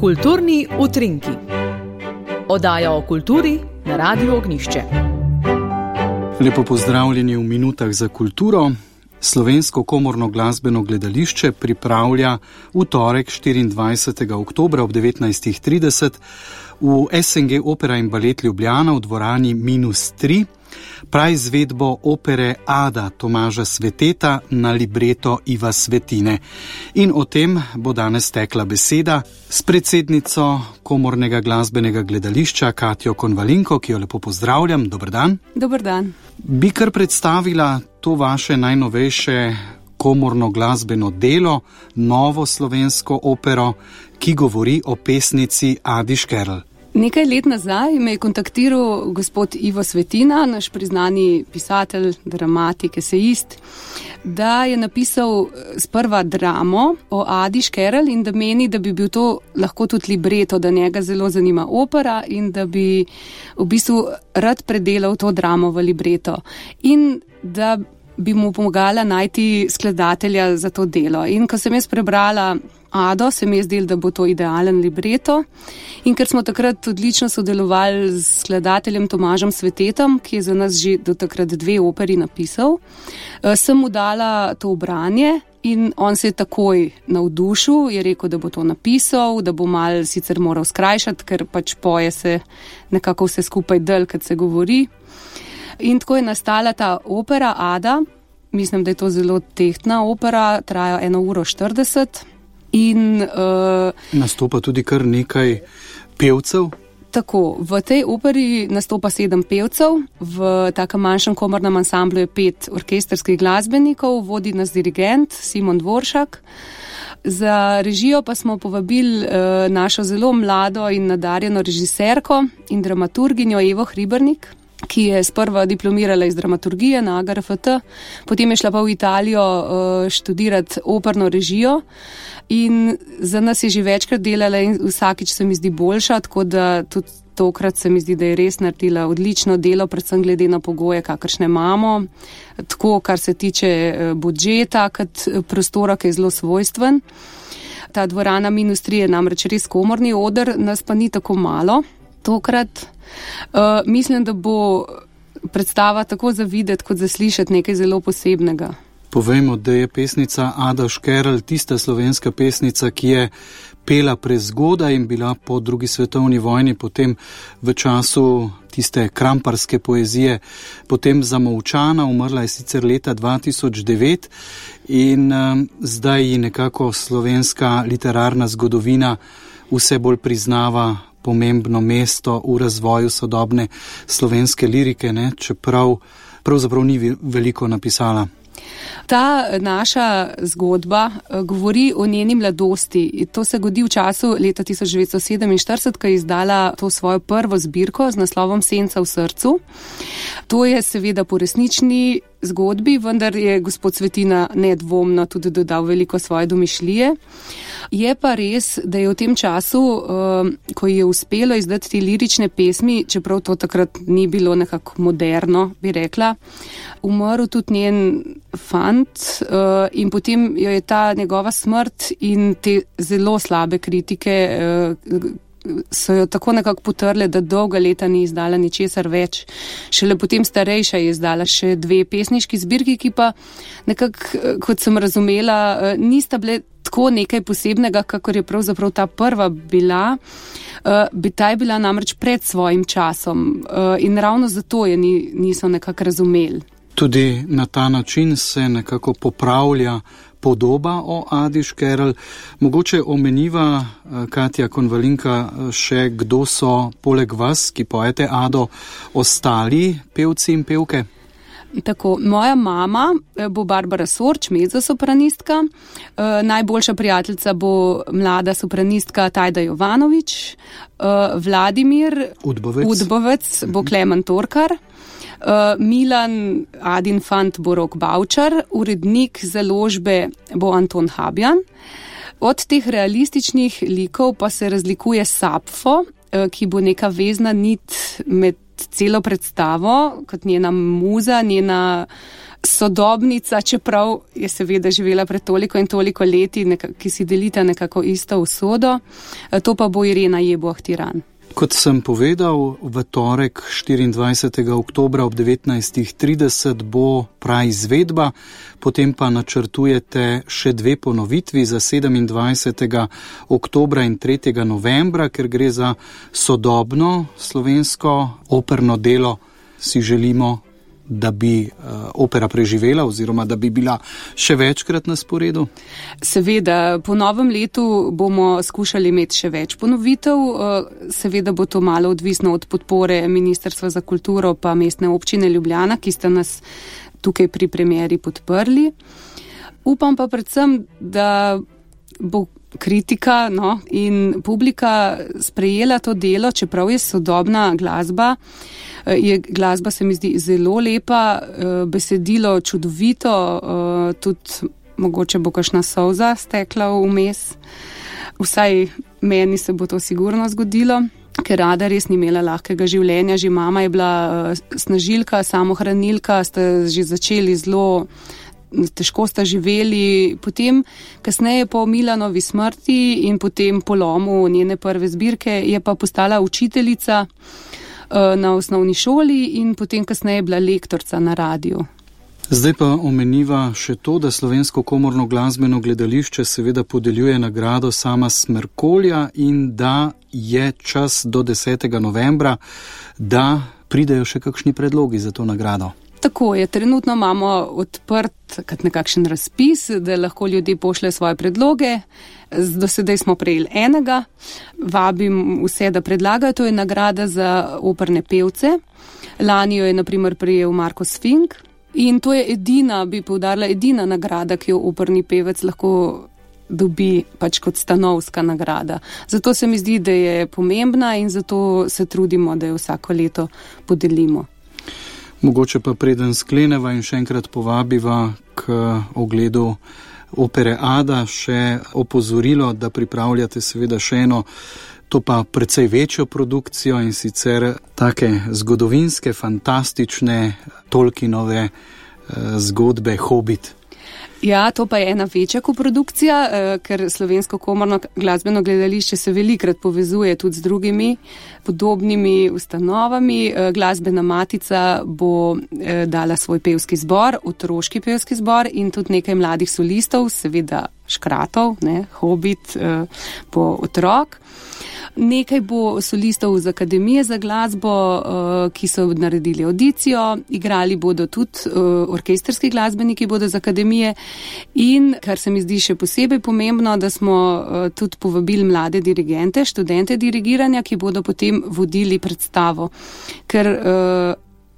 Kulturni utrinki. Oddaja o kulturi na Radiu Ognjišče. Lepo pozdravljeni v minutah za kulturo. Slovensko komorno glasbeno gledališče pripravlja v torek 24. oktobra ob 19.30 v SNG Opera in balet Ljubljana v dvorani -3 praizvedbo opere Ada Tomaža Sveteta na libreto Iva Svetine. In o tem bo danes tekla beseda s predsednico Komornega glasbenega gledališča Katjo Konvalinko, ki jo lepo pozdravljam. Dober dan. Dober dan. Bi kar predstavila to vaše najnovejše komorno glasbeno delo, novo slovensko opero, ki govori o pesnici Adi Škerl. Nekaj let nazaj me je kontaktiral gospod Ivo Svetina, naš priznani pisatelj, dramatik, esejist, da je napisal sprva dramo o Adi Škerl in da meni, da bi bil to lahko tudi libreto, da njega zelo zanima opera in da bi v bistvu rad predelal to dramo v libreto in da bi mu pomagala najti skladatelja za to delo. In ko sem jaz prebrala Ado, se mi je zdelo, da bo to idealen libreto. In ker smo takrat odlično sodelovali s skladateljem Tomažem Svetetom, ki je za nas že do takrat 2 operi napisal, sem mu dala to branje in on se je takoj navdušil, je rekel, da bo to napisal, da bo mal sicer moral skrajšati, ker pač poje se nekako vse skupaj del, kad se govori. In tako je nastala ta opera Ada. Mislim, da je to zelo tehtna opera, traja 1:40. In nastopa tudi kar nekaj pevcev. Tako, v tej operi nastopa 7 pevcev, v takem manjšem komornem ansamblu je 5 orkestrskih glasbenikov, vodi nas dirigent Simon Dvoršak. Za režijo pa smo povabili našo zelo mlado in nadarjeno režiserko in dramaturginjo Evo Hribernik, ki je sprva diplomirala iz dramaturgije na AGRFT, potem je šla pa v Italijo študirati operno režijo in za nas je že večkrat delala in vsakič se mi zdi boljša, tako da tudi tokrat se mi zdi, da je res naredila odlično delo, predvsem glede na pogoje, kakršne imamo, tako kar se tiče budžeta, kot prostora, ki je zelo svojstven. Ta dvorana -3 je namreč res komorni oder, nas pa ni tako malo tokrat. Mislim, da bo predstava tako za videti, kot za slišati nekaj zelo posebnega. Povejmo, da je pesnica Ada Škerl tista slovenska pesnica, ki je pela prezgodaj in bila po 2. svetovni vojni, potem v času tiste kramparske poezije, potem zamolčana, umrla je sicer leta 2009 in zdaj ji nekako slovenska literarna zgodovina vse bolj priznava pomembno mesto v razvoju sodobne slovenske lirike, ne? Čeprav pravzaprav ni veliko napisala. Ta naša zgodba govori o njeni mladosti. To se godi v času leta 1947, ko je izdala to svojo prvo zbirko z naslovom Senca v srcu. To je seveda po resnični zgodbi, vendar je gospod Svetina nedvomno tudi dodal veliko svoje domišljije. Je pa res, da je v tem času, ko je uspelo izdati te lirične pesmi, čeprav to takrat ni bilo nekako moderno, bi rekla, umrl tudi njen fant in potem jo je ta njegova smrt in te zelo slabe kritike so jo tako nekako potrle, da dolga leta ni izdala ničesar več. Šele potem starejša je izdala še 2 pesniški zbirki, ki pa nekako, kot sem razumela, nista bile tako nekaj posebnega, kakor je pravzaprav ta prva bila. Ta je bila namreč pred svojim časom in ravno zato je niso nekako razumeli. Tudi na ta način se nekako popravlja podoba o Adi Škerl. Mogoče omeniva, Katja Konvalinka, še kdo so poleg vas, ki pojete Ado, ostali pevci in pevke? Tako, moja mama bo Barbara Sorč, mezzosopranistka, najboljša prijateljica bo mlada sopranistka Tajda Jovanović, Vladimir Udbovec bo Klemen Torkar, Milan Adin fant bo Rok Bavčar, urednik založbe bo Anton Habjan. Od teh realističnih likov pa se razlikuje Sapfo, ki bo neka vezna nit med celo predstavo, kot njena muza, njena sodobnica, čeprav je seveda živela pred toliko in toliko leti, ki si delita nekako isto usodo. To pa bo Irena Jeboah-Tiran. Kot sem povedal, v torek 24. oktobra ob 19.30 bo praizvedba, potem pa načrtujete še 2 ponovitvi za 27. oktobra in 3. novembra, ker gre za sodobno slovensko operno delo. Si želimo, da bi opera preživela oziroma da bi bila še večkrat na sporedu? Seveda, po novem letu bomo skušali imeti še več ponovitev. Seveda bo to malo odvisno od podpore Ministrstva za kulturo pa Mestne občine Ljubljana, ki sta nas tukaj pri premieri podprli. Upam pa predvsem, da bo kritika in publika sprejela to delo, čeprav je sodobna glasba. Glasba se mi zdi zelo lepa, besedilo čudovito, tudi mogoče bo kakšna solza stekla vmes. Vsaj meni se bo to sigurno zgodilo, ker Ada res ni imela lahkega življenja. Že mama je bila snažilka, samohranilka, sta že začeli zelo težko sta živeli, potem kasneje po Milanovi smrti in potem polomu njene prve zbirke je pa postala učiteljica na osnovni šoli in potem kasneje bila lektorca na radiju. Zdaj pa omeniva še to, da Slovensko komorno glasbeno gledališče seveda podeljuje nagrado Sama Smrkolja in da je čas do 10. novembra, da pridejo še kakšni predlogi za to nagrado. Tako je, trenutno imamo odprt nekakšen razpis, da lahko ljudje pošljejo svoje predloge. Do sedaj smo prejeli enega. Vabim vse, da predlagajo. To je nagrada za operne pevce. Lani jo je na primer prejel Marko Sfink. In to je edina, bi poudarila, edina nagrada, ki jo operni pevec lahko dobi pač kot stanovska nagrada. Zato se mi zdi, da je pomembna in zato se trudimo, da jo vsako leto podelimo. Mogoče pa preden skleneva in še enkrat povabiva k ogledu opere Ada, še opozorilo, da pripravljate seveda še eno, to pa precej večjo produkcijo in sicer take zgodovinske, fantastične Tolkienove zgodbe Hobbit. Ja, to pa je ena večja koprodukcija, ker Slovensko komorno glasbeno gledališče se velikrat povezuje tudi z drugimi podobnimi ustanovami. Glasbena matica bo dala svoj pevski zbor, otroški pevski zbor in tudi nekaj mladih solistov, seveda škratov, Hobbit bo otrok. Nekaj bo solistov z Akademije za glasbo, ki so naredili audicijo, igrali bodo tudi orkestrski glasbeniki bodo z Akademije in, kar se mi zdi še posebej pomembno, da smo tudi povabili mlade dirigente, študente dirigiranja, ki bodo potem vodili predstavo. Ker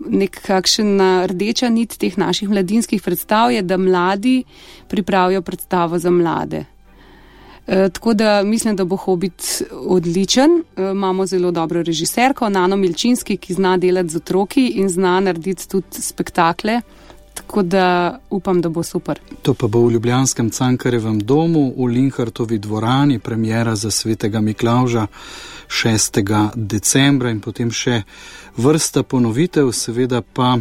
nekakšna rdeča nit teh naših mladinskih predstav je, da mladi pripravijo predstavo za mlade. Tako da mislim, da bo Hobbit odličen. Imamo zelo dobro režiserko, Nano Milčinski, ki zna delati z otroki in zna narediti tudi spektakle. Tako da upam, da bo super. To pa bo v ljubljanskem Cankarjevem domu, v Linhartovi dvorani, premiera za Svetega Miklavža 6. decembra in potem še vrsta ponovitev, seveda pa,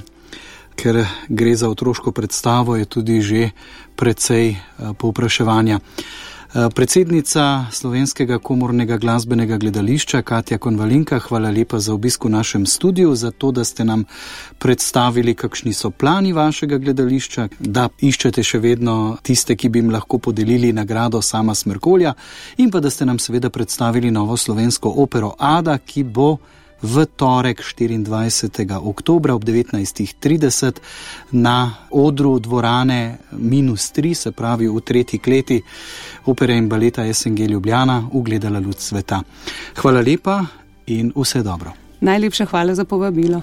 ker gre za otroško predstavo, je tudi že precej povpraševanja. Predsednica Slovenskega komornega glasbenega gledališča Katja Konvalinka, hvala lepa za obisk v našem studiu, za to, da ste nam predstavili, kakšni so plani vašega gledališča, da iščete še vedno tiste, ki bi jim lahko podelili nagrado Sama Smrkolja in pa da ste nam seveda predstavili novo slovensko opero Ada, ki bo v torek 24. oktobra ob 19.30 na odru dvorane -3, se pravi v 3. kleti opere in baleta SNG Ljubljana, ugledala luč sveta. Hvala lepa in vse dobro. Najlepša hvala za povabilo.